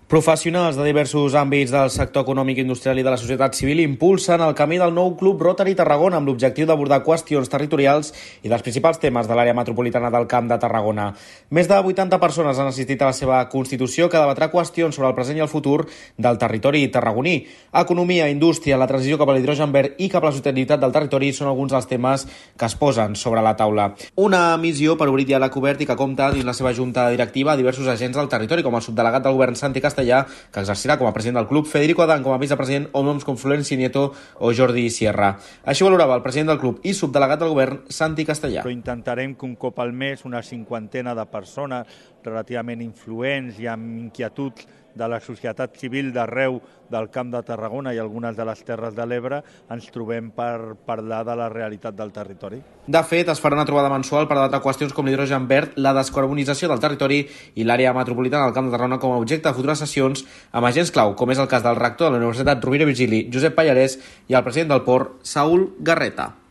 Professionals de diversos àmbits del sector econòmic, industrial i de la societat civil impulsen el camí del nou Club Rotary Tarragona amb l'objectiu d'abordar qüestions territorials i dels principals temes de l'àrea metropolitana del Camp de Tarragona. Més de 80 persones han assistit a la seva constitució que debatrà qüestions sobre el present i el futur del territori tarragoní. Economia, indústria, la transició cap a l'hidrogen verd i cap a la sostenibilitat del territori són alguns dels temes que es posen sobre la taula. Una missió per obrir diàleg obert i que compta dins la seva junta directiva a diversos agents del territori, com el subdelegat del govern Santi Castellà, que exercirà com a president del club, Federico Adán com a vicepresident o noms com Florenci Nieto o Jordi Sierra. Així valorava el president del club i subdelegat del govern, Santi Castellà. Però intentarem que un cop al mes una cinquantena de persones relativament influents i amb inquietuds de la societat civil d'arreu del Camp de Tarragona i algunes de les Terres de l'Ebre ens trobem per parlar de la realitat del territori. De fet, es farà una trobada mensual per debatre qüestions com l'hidrogen verd, la descarbonització del territori i l'àrea metropolitana del Camp de Tarragona com a objecte de futures sessions amb agents clau, com és el cas del rector de la Universitat Rovira i Virgili, Josep Pallarès, i el president del Port, Saúl Garreta.